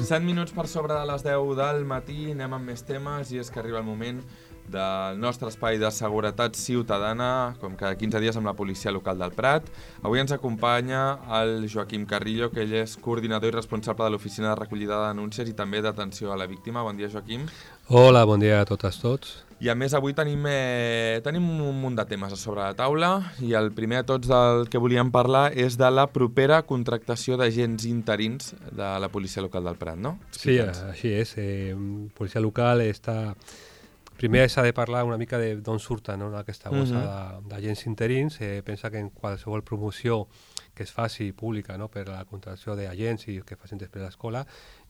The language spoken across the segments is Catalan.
7 minuts per sobre de les 10 del matí, anem amb més temes i és que arriba el moment del nostre espai de seguretat ciutadana, com cada 15 dies amb la policia local del Prat. Avui ens acompanya el Joaquim Carrillo, que ell és coordinador i responsable de l'oficina de recollida de denúncies i també d'atenció a la víctima. Bon dia, Joaquim. Hola, bon dia a totes tots. I a més avui tenim un munt de temes a sobre la taula i el primer de tots del que volíem parlar és de la propera contractació d'agents interins de la policia local del Prat, no? Sí, així és. Policia local està... Primer s'ha de parlar una mica d'on surten, no, aquesta bossa d'agents interins. Pensa que en qualsevol promoció que es faci pública, no, per la contractació d'agents i que facin després l'escola,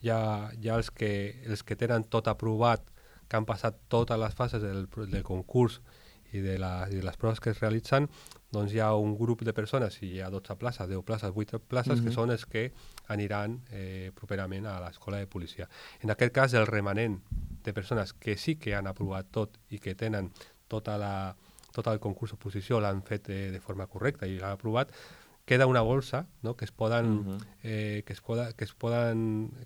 ja els que tenen tot aprovat, que han passat totes les fases del concurs i de les proves que es realitzen, doncs hi ha un grup de persones, si hi ha 12 places, 10 places, 8 places, que són els que aniran properament a l'escola de policia. En aquest cas, el remanent de persones que sí que han aprovat tot i que tenen tot el concurs oposició, l'han fet de forma correcta i l'han aprovat, queda una bolsa, no, que es poden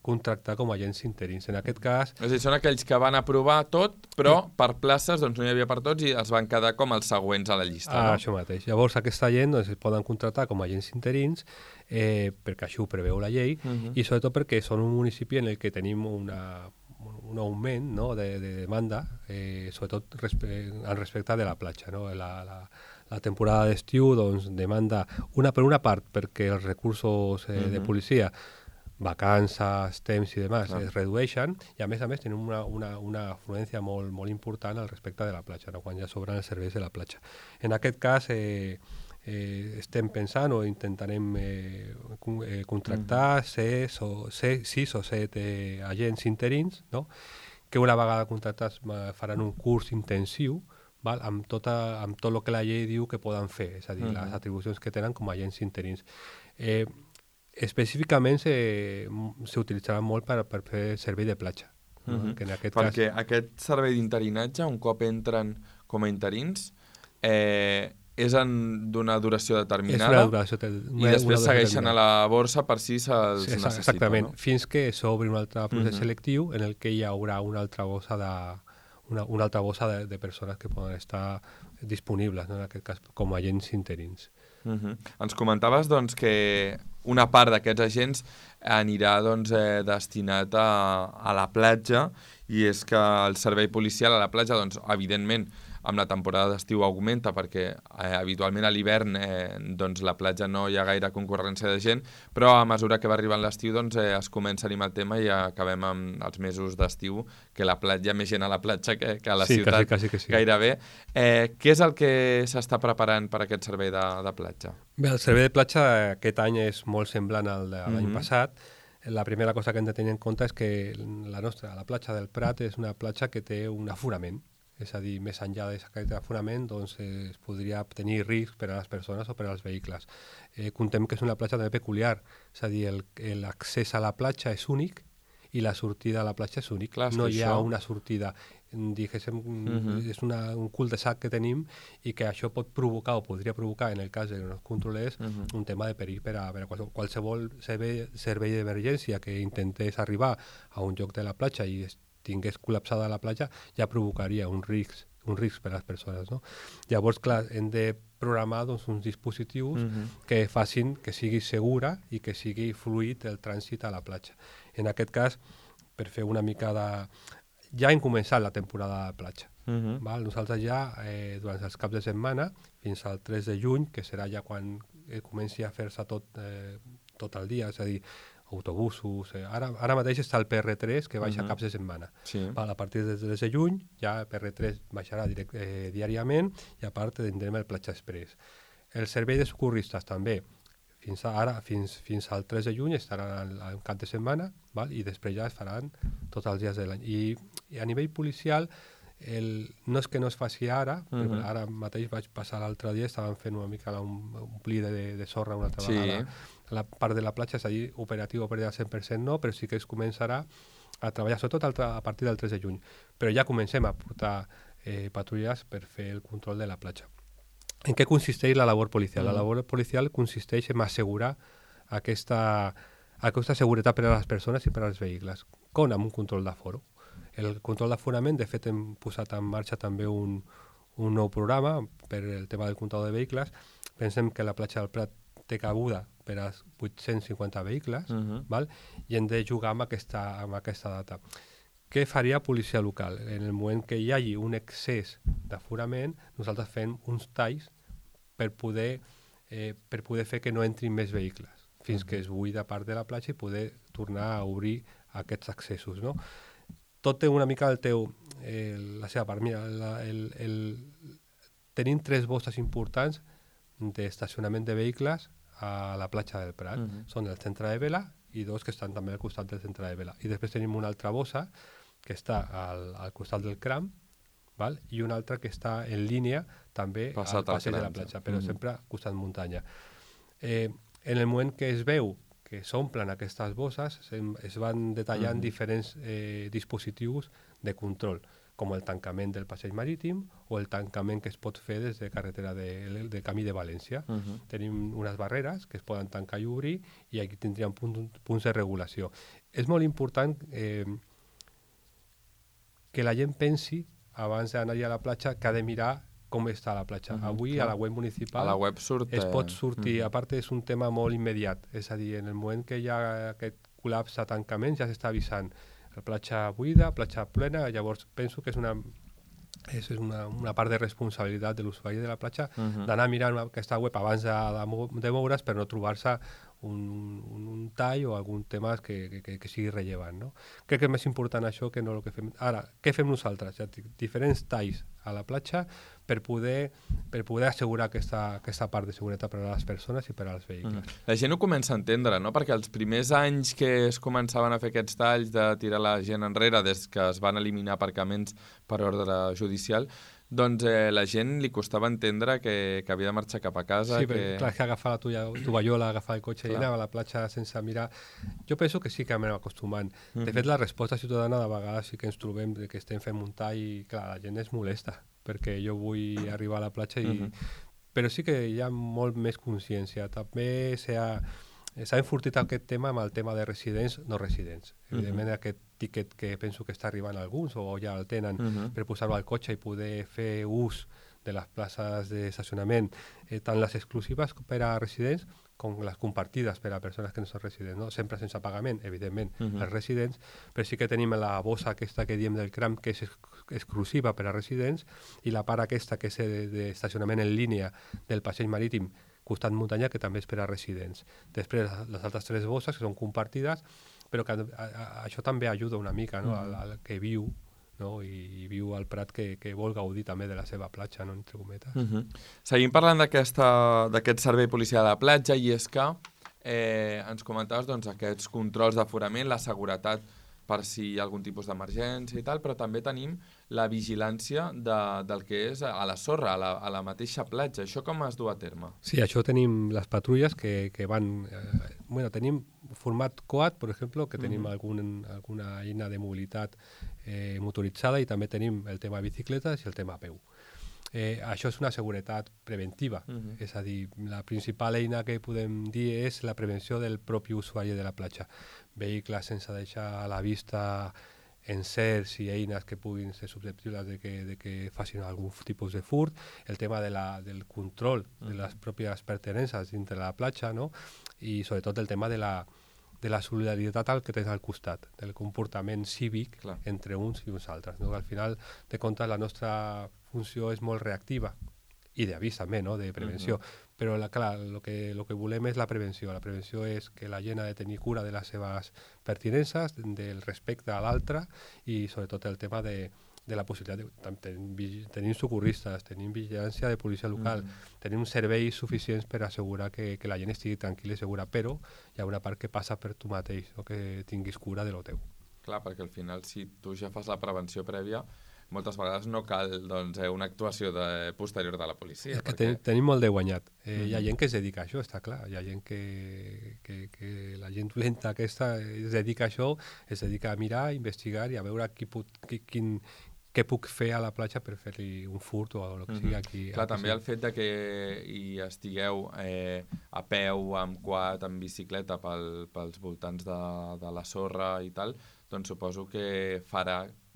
contractar com a agents interins. En aquest cas... És a dir, són aquells que van aprovar tot, però per places doncs, no hi havia per tots i els van quedar com els següents a la llista. No? Això mateix. Llavors aquesta gent doncs, es poden contractar com a agents interins perquè això ho preveu la llei i sobretot perquè són un municipi en el que tenim un augment, no, de demanda, sobretot respecte de la platja. No? La temporada d'estiu doncs, demanda, per una part, perquè els recursos de policia, vacances, temps i demás, es redueixen, i a més tenim una afluència molt, molt important al respecte de la platja, no? Quan ja sobren els serveis de la platja. En aquest cas, estem pensant o intentarem contractar 6 o 7 agents interins, no? Que una vegada contractats faran un curs intensiu, val? Amb tot el que la llei diu que poden fer, és a dir, les atribucions que tenen com a agents interins. Específicament s'utilitzaran molt per fer servei de platja. Que en aquest Perquè aquest servei d'interinatge, un cop entren com a interins, és d'una duració determinada i després segueixen a la borsa per si se'ls necessita. Exactament, no? fins que s'obri un altre procés selectiu en el que hi haurà una altra bossa de persones que poden estar disponibles, no? En aquest cas com a agents interins. Ens comentaves doncs, que una part d'aquests agents anirà doncs, destinat a la platja i és que el servei policial a la platja, doncs, evidentment, amb la temporada d'estiu augmenta perquè habitualment a l'hivern doncs la platja no hi ha gaire concurrència de gent, però a mesura que va arribant l'estiu doncs, es comença a animar el tema i acabem amb els mesos d'estiu que hi ha més gent a la platja que a la ciutat, quasi que sí. Gairebé. Què és el que s'està preparant per aquest servei de platja? Bé, el servei de platja aquest any és molt semblant al de l'any passat. La primera cosa que hem de tenir en compte és que la platja del Prat és una platja que té un aforament. És a dir, més enllà d'aquest aforament doncs, es podria tenir risc per a les persones o per als vehicles. Contem que és una platja també peculiar, és a dir, l'accés a la platja és únic i la sortida a la platja és únic. Clar, no hi ha una sortida, diguéssim, és un cul-de-sac que tenim i que això pot provocar o podria provocar, en el cas que no es controlés, un tema de perill per a qualsevol servei d'emergència que intentés arribar a un lloc de la platja i tingués col·lapsada la platja, ja provocaria un risc per a les persones. No? Llavors, clar, hem de programar doncs, uns dispositius que facin que sigui segura i que sigui fluid el trànsit a la platja. En aquest cas, per fer una mica de... Ja hem començat la temporada de platja. Val? Nosaltres ja, durant els caps de setmana, fins al 3 de juny, que serà ja quan comenci a fer-se tot el dia, és a dir, autobusos... Ara mateix està el PR3 que baixa caps de setmana. Sí. A partir del 3 de juny ja el PR3 baixarà diàriament i a part tindrem el Platja Express. El servei de socorristes també fins al 3 de juny estaran en cap de setmana, val? I després ja es faran tots els dies de l'any. I a nivell policial no és que no es faci ara, però ara mateix vaig passar l'altre dia, estaven fent una mica un pli de sorra una altra vegada. La part de la platja, és a dir, operatiu al 100% no, però sí que es començarà a treballar, sobretot a partir del 3 de juny. Però ja comencem a portar patrulles per fer el control de la platja. En què consisteix la labor policial? La labor policial consisteix en assegurar aquesta aquesta seguretat per a les persones i per als vehicles, com amb un control d'aforo. El control d'aforament, de fet, hem posat en marxa també un nou programa per el tema del comptador de vehicles. Pensem que la platja del Prat té cabuda per a 850 vehicles, val? I hem de jugar amb aquesta data. Què faria policia local? En el moment que hi hagi un excés d'aforament, nosaltres fem uns talls per poder fer que no entrin més vehicles, fins que es buida part de la platja i poder tornar a obrir aquests accessos, no? Tot té una mica la seva part. Mira, tenim 3 bosses importants d'estacionament de vehicles a la platja del Prat. Són el centre de vela i 2 que estan també al costat del centre de vela. I després tenim una altra bossa que està al costat del Cram, val? I una altra que està en línia també al passeig de la platja, però sempre al costat muntanya. En el moment que es veu que s'omplen aquestes bosses, es van detallant diferents dispositius de control, com el tancament del passeig marítim o el tancament que es pot fer des de carretera del Camí de València. Tenim unes barreres que es poden tancar i obrir i aquí tindríem punts de regulació. És molt important que la gent pensi, abans d'anar a la platja, que ha de mirar com està la platja. Avui a la web municipal a la web es pot sortir, a part és un tema molt immediat, és a dir, en el moment que hi ha aquest col·lapse, tancament, ja s'està avisant la platja buida, platja plena. Llavors penso que és una part de responsabilitat de l'usuari de la platja d'anar a mirar aquesta web abans de moure's per no trobar-se un tall o algun tema que sigui rellevant, no? Crec que és més important això que no el que fem. Ara, què fem nosaltres? Ja dic, diferents talls a la platja per poder assegurar aquesta part de seguretat per a les persones i per als vehicles. La gent ho comença a entendre, no? Perquè els primers anys que es començaven a fer aquests talls de tirar la gent enrere des que es van eliminar aparcaments per ordre judicial, doncs la gent li costava entendre que havia de marxar cap a casa. Sí, però clar, que agafar la tovallola, agafar el cotxe i anar a la platja sense mirar. Jo penso que sí que anem acostumant. De fet, la resposta ciutadana de vegades sí que ens trobem que estem fent un tall i clar, la gent és molesta perquè jo vull arribar a la platja però sí que hi ha molt més consciència. També s'ha enfortit aquest tema amb el tema de residents, no residents. Evidentment aquest tiquet que penso que està arribant a alguns o ja el tenen per posar-ho al cotxe i poder fer ús de les places d'estacionament, tant les exclusives per a residents com les compartides per a persones que no són residents, no? Sempre sense pagament, evidentment, els residents, però sí que tenim la bossa aquesta que diem del CRAM, que és exclusiva per a residents, i la part aquesta que és d'estacionament en línia del passeig marítim costat muntanya, que també és per a residents. Després, les altres 3 bosses, que són compartides, però que això també ajuda una mica, no? Al que viu, no? I viu al Prat que vol gaudir també de la seva platja, no? Entre cometes. Seguim parlant d'aquest servei policial de la platja, i és que ens comentaves doncs, aquests controls d'aforament, la seguretat per si hi ha algun tipus d'emergència i tal, però també tenim la vigilància del que és a la sorra, a la mateixa platja. Això com es du a terme? Sí, això tenim les patrulles que van... tenim format quad, per exemple, que tenim alguna eina de mobilitat motoritzada, i també tenim el tema bicicletes i el tema a peu. Això és una seguretat preventiva, és a dir, la principal eina que podem dir és la prevenció del propi usuari de la platja. Vehicles sense deixar a la vista encerts i eines que puguin ser susceptibles de que facin algun tipus de furt, el tema del control de les pròpies pertinences dintre de la platja, no? I sobretot el tema de la solidaritat al que tens al costat, del comportament cívic entre uns i uns altres, no? Al final de comptes la nostra funció és molt reactiva i d'avís també, no? De prevenció, però clar, el que volem és la prevenció. La prevenció és que la gent ha de tenir cura de les seves pertinences, del respecte a l'altre, i sobretot el tema de la possibilitat tenim socorristes, tenim vigilància de policia local, tenim serveis suficients per assegurar que la gent estigui tranquil·la i segura, però hi ha una part que passa per tu mateix, no? Que tinguis cura de lo teu. Clar, perquè al final si tu ja fas la prevenció prèvia, moltes vegades no cal una actuació posterior de la policia. És que tenim molt de guanyat. Hi ha gent que es dedica a això, està clar. Hi ha gent que la gent dolenta aquesta es dedica a això, es dedica a mirar, a investigar i a veure què puc fer a la platja per fer-li un furt o el que sigui aquí. Clar, també el fet de que hi estigueu a peu, amb quad, amb bicicleta pels voltants de la sorra i tal, doncs suposo que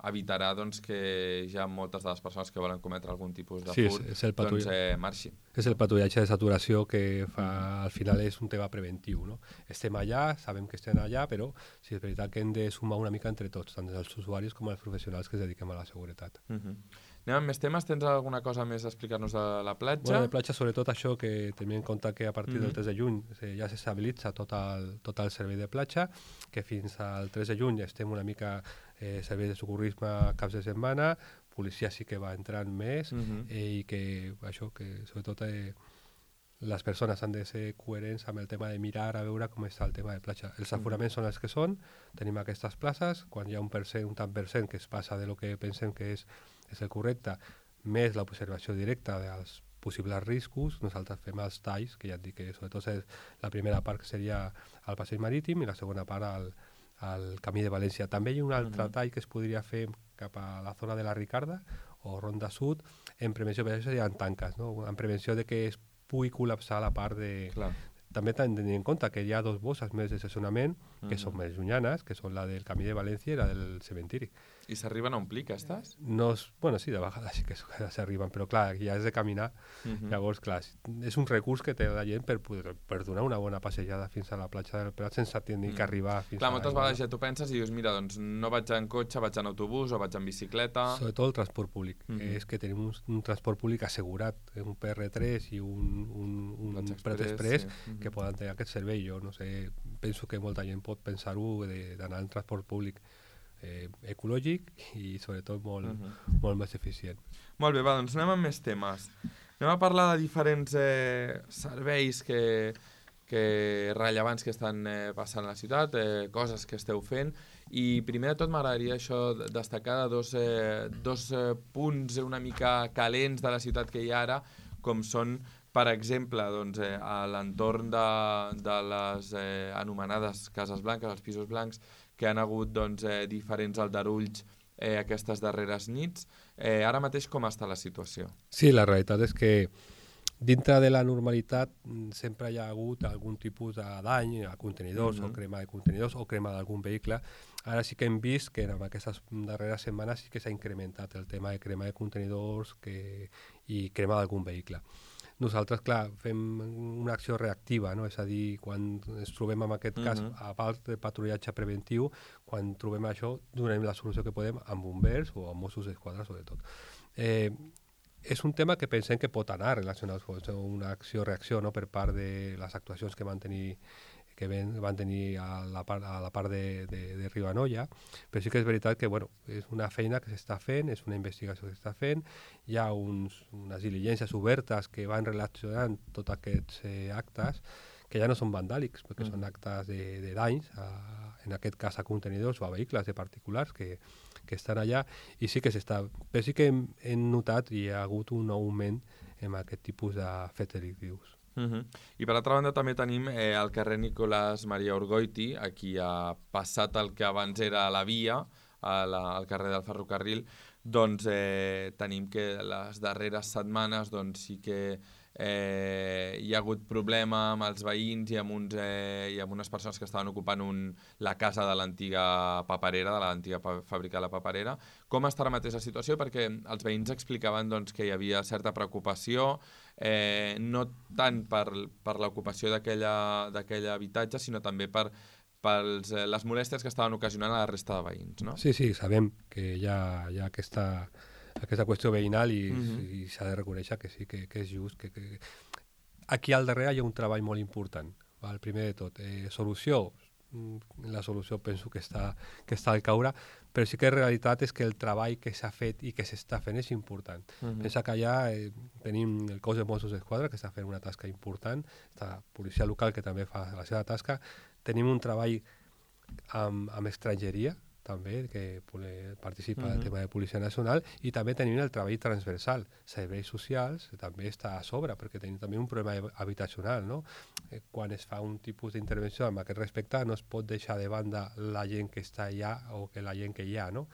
evitarà doncs, que ja moltes de les persones que volen cometre algun tipus de furt doncs, marxi. És el patrullatge de saturació que fa, al final és un tema preventiu. No? Estem allà, sabem que estem allà, però sí, és veritat que hem de sumar una mica entre tots, tant els usuaris com els professionals que es dediquem a la seguretat. Anem amb més temes. Tens alguna cosa més a explicar-nos de la platja? Bueno, de platja, sobretot això, que tenim en compte que a partir del 3 de juny ja s'estabilitza tot el servei de platja, que fins al 3 de juny estem una mica servei de socorrisme caps de setmana, policia sí que va entrant més i que això, que sobretot les persones han de ser coherents amb el tema de mirar a veure com està el tema de platja. Els aforaments són els que són, tenim aquestes places, quan hi ha un tant per cent que es passa de lo que pensem que és el correcte, més l'observació directa dels possibles riscos, nosaltres fem els talls, que ja et dic que sobretot la primera part que seria el passeig marítim i la segona part al camí de València. També hi ha un altre tall que es podria fer cap a la zona de la Ricarda o Ronda Sud, en prevenció, per això serien tanques, no? En prevenció de que es pugui col·lapsar la part de... Clar. També hem de tenir en compte que hi ha 2 bosses més de estacionament que són més llunyanes, que són la del camí de València i la del cementiri. I s'arriben a omplir, aquestes? No, bueno, sí, de vegades sí que s'arriben, però clar, ja has de caminar. Llavors, clar, és un recurs que té la gent per donar una bona passejada fins a la platja del Prat sense tenir que arribar fins clar, moltes vegades ja tu penses i dius, mira, doncs no vaig en cotxe, vaig en autobús o vaig en bicicleta... Sobretot el transport públic. És que tenim un transport públic assegurat, un PR3 i un Prat Express que poden tenir aquest servei. Jo no sé, penso que molta gent pot pensar-ho d'anar en transport públic ecològic i sobretot molt més eficient. Molt bé, doncs anem amb més temes. Anem a parlar de diferents serveis rellevants que estan passant a la ciutat, coses que esteu fent, i primer de tot m'agradaria això destacar de dos punts una mica calents de la ciutat que hi ha ara, com són, per exemple, doncs, a l'entorn de les anomenades cases blanques, els pisos blancs, que han hagut doncs, diferents aldarulls aquestes darreres nits. Ara mateix com està la situació? Sí, la realitat és que dintre de la normalitat sempre hi ha hagut algun tipus de dany a contenidors o crema de contenidors o crema d'algun vehicle. Ara sí que hem vist que en aquestes darreres setmanes sí que s'ha incrementat el tema de crema de contenidors i crema d'algun vehicle. Nosaltres, clar, fem una acció reactiva, no? És a dir, quan ens trobem en aquest cas, a part de patrullatge preventiu, quan trobem això, donem la solució que podem amb bombers o amb Mossos d'Esquadra, sobretot. És un tema que pensem que pot anar relacionat amb una acció-reacció, no? Per part de les actuacions que van tenir a la part de Ribanoia, però sí que és veritat que és una feina que s'està fent, és una investigació que s'està fent, hi ha unes diligències obertes que van relacionant tots aquests actes, que ja no són vandàlics, perquè són actes de danys, en aquest cas a contenidors o a vehicles de particulars que estan allà, i sí que s'està... Però sí que hem notat i hi ha hagut un augment en aquest tipus de fets delictius. I per altra banda també tenim el carrer Nicolás Maria Orgoiti, aquí ha passat el que abans era la via, al carrer del ferrocarril, doncs tenim que les darreres setmanes doncs, sí que hi ha hagut problema amb els veïns i amb unes persones que estaven ocupant la casa de l'antiga paperera, de l'antiga fàbrica de la paperera. Com està ara mateix la situació? Perquè els veïns explicaven doncs, que hi havia certa preocupació, no tant per l'ocupació d'aquell habitatge, sinó també per les molèsties que estaven ocasionant a la resta de veïns, no? Sí, sabem que hi ha aquesta qüestió veïnal i s'ha de reconèixer que sí, que és just. Aquí al darrere hi ha un treball molt important. Val? Primer de tot, solució. La solució penso que està al caure, però sí que la realitat és que el treball que s'ha fet i que s'està fent és important. Pensa que allà tenim el cos de Mossos d'Esquadra, que està fent una tasca important, la policia local, que també fa la seva tasca. Tenim un treball amb estrangeria, també, que participa del tema de Policia Nacional, i també tenim el treball transversal. Serveis socials també està a sobre, perquè tenim també un problema habitacional, no? Quan es fa un tipus d'intervenció amb aquest respecte, no es pot deixar de banda la gent que està allà o que la gent que hi ha, no?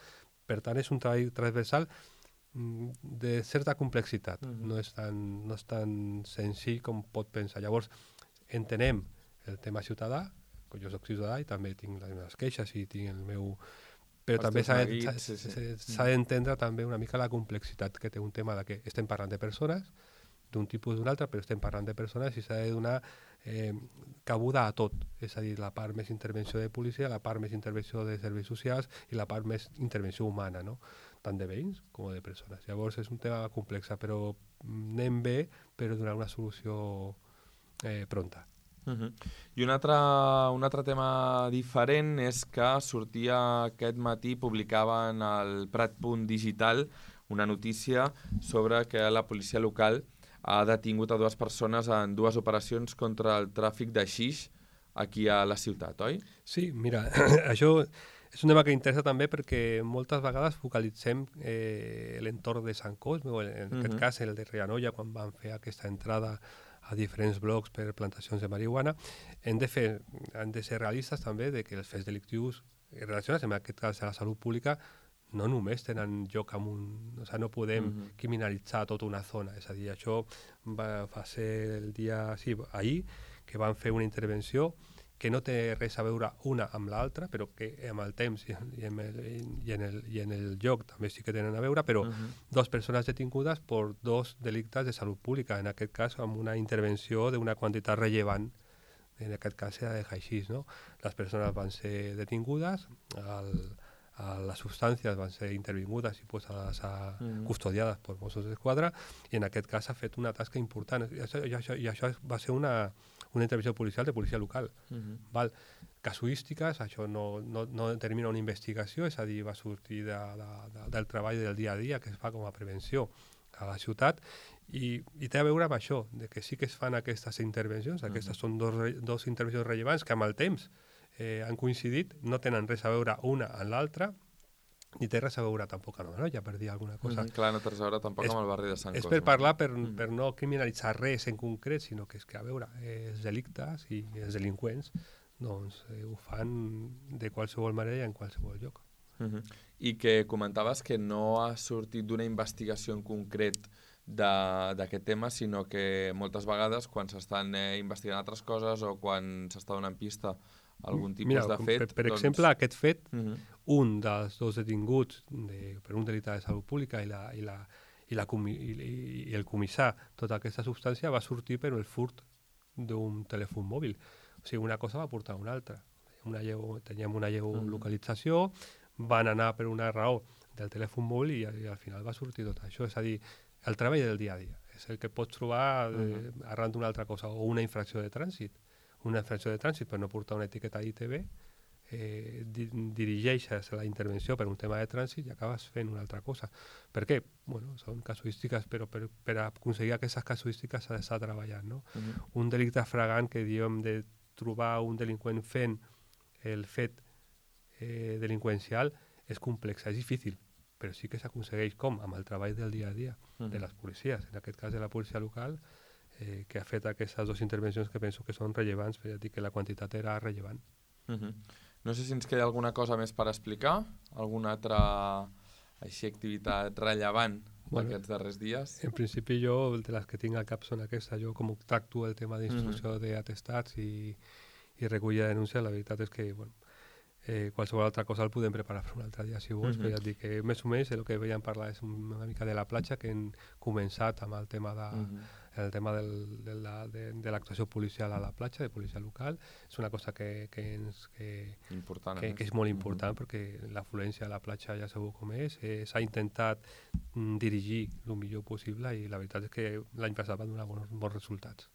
Per tant, és un treball transversal de certa complexitat. No és tan senzill com pot pensar. Llavors, entenem el tema ciutadà, jo soc ciutadà i també tinc les meves queixes i tinc el meu... Però també s'ha d'entendre també una mica la complexitat que té un tema de que estem parlant de persones, d'un tipus o d'un altre, però estem parlant de persones i s'ha de donar cabuda a tot. És a dir, la part més intervenció de policia, la part més intervenció de serveis socials i la part més intervenció humana, no? Tant de veïns com de persones. Llavors és un tema complex, però anem bé per donar una solució pronta. I un altre tema diferent és que sortia aquest matí, publicaven al Prat.digital una notícia sobre que la policia local ha detingut a 2 persones en 2 operacions contra el tràfic de xix aquí a la ciutat, oi? Sí, mira, això és un tema que interessa també perquè moltes vegades focalitzem l'entorn de Sant Cosme, o en aquest cas el de Rianoia, quan van fer aquesta entrada a diferents blocs per plantacions de marihuana. Hem de ser realistes també de que els fets delictius relacionats amb aquest cas de la salut pública no només tenen lloc amb un... O sigui, no podem criminalitzar tota una zona. És a dir, això va ser el dia... Sí, ahir, que van fer una intervenció que no té res a veure una amb l'altra, però que amb el temps i en el lloc també sí que tenen a veure, però 2 persones detingudes per 2 delictes de salut pública, en aquest cas amb una intervenció d'una quantitat rellevant, en aquest cas era de haixís, no? Les persones van ser detingudes, les substàncies van ser intervingudes i posades custodiades per Mossos d'Esquadra, i en aquest cas s'ha fet una tasca important. I això va ser una intervenció policial de policia local. Val? Casuístiques, això no determina una investigació, és a dir, va sortir del treball del dia a dia que es fa com a prevenció a la ciutat, i té a veure amb això, de que sí que es fan aquestes intervencions. Aquestes són 2 intervencions rellevants que amb el temps han coincidit, no tenen res a veure una amb l'altra, ni té res a veure tampoc amb Anoia, per dir alguna cosa. Clar, no té res a veure tampoc amb el barri de Sant Cosme. És per parlar, per no criminalitzar res en concret, sinó que és que, a veure, els delictes i els delinqüents doncs ho fan de qualsevol manera i en qualsevol lloc. I que comentaves que no ha sortit d'una investigació en concret d'aquest tema, sinó que moltes vegades quan s'estan investigant altres coses o quan s'està donant pista a algun tipus de fet... Per exemple, aquest fet, un dels 2 detinguts per un delicte de salut pública i el comissar tota aquesta substància va sortir per el furt d'un telèfon mòbil. O sigui, una cosa va portar a una altra. Teníem una geolocalització, van anar per una raó del telèfon mòbil i al final va sortir tot això. És a dir, el treball del dia a dia. És el que pots trobar arran d'una altra cosa, o una infracció de trànsit. Una infracció de trànsit per no portar una etiqueta d'ITV, dirigeixes la intervenció per un tema de trànsit i acabes fent una altra cosa. Per què? Bueno, són casuístiques, però per aconseguir aquestes casuístiques s'ha d'estar treballant, no? Un delicte fragant que diem de trobar un delinqüent fent el fet delinqüencial és complex, és difícil, però sí que s'aconsegueix com? Amb el treball del dia a dia de les policies, en aquest cas de la policia local, que ha fet aquestes 2 intervencions que penso que són rellevants, per dir que la quantitat era rellevant. No sé si ens queda alguna cosa més per explicar, alguna altra activitat rellevant d'aquests darrers dies. En principi jo, de les que tinc al cap són aquestes. Jo com tracto el tema d'instrucció d'atestats i recollida de denúncia, la veritat és que qualsevol altra cosa el podem preparar per un altre dia si vols, però ja et dic que més o menys el que veiem parlar és una mica de la platja, que hem començat amb el tema de l'actuació policial a la platja, de policia local. És una cosa que és molt important perquè l'afluència a la platja ja sabeu com és. S'ha intentat dirigir el millor possible i la veritat és que l'any passat va donar bons resultats.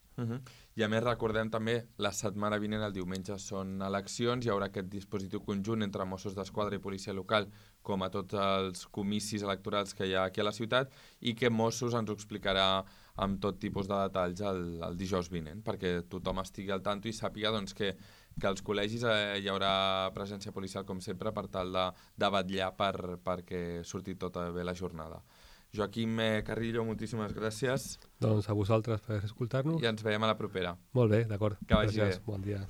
I a més recordem també, la setmana vinent, el diumenge, són eleccions, hi haurà aquest dispositiu conjunt entre Mossos d'Esquadra i policia local, com a tots els comicis electorals que hi ha aquí a la ciutat, i que Mossos ens ho explicarà amb tot tipus de detalls el dijous vinent, perquè tothom estigui al tanto i sàpiga doncs, que als col·legis hi haurà presència policial, com sempre, per tal de vetllar perquè surti tota bé la jornada. Joaquim Carrillo, moltíssimes gràcies. Doncs a vosaltres per escoltar-nos. I ens veiem a la propera. Molt bé, d'acord. Que vagi bé. Bon dia.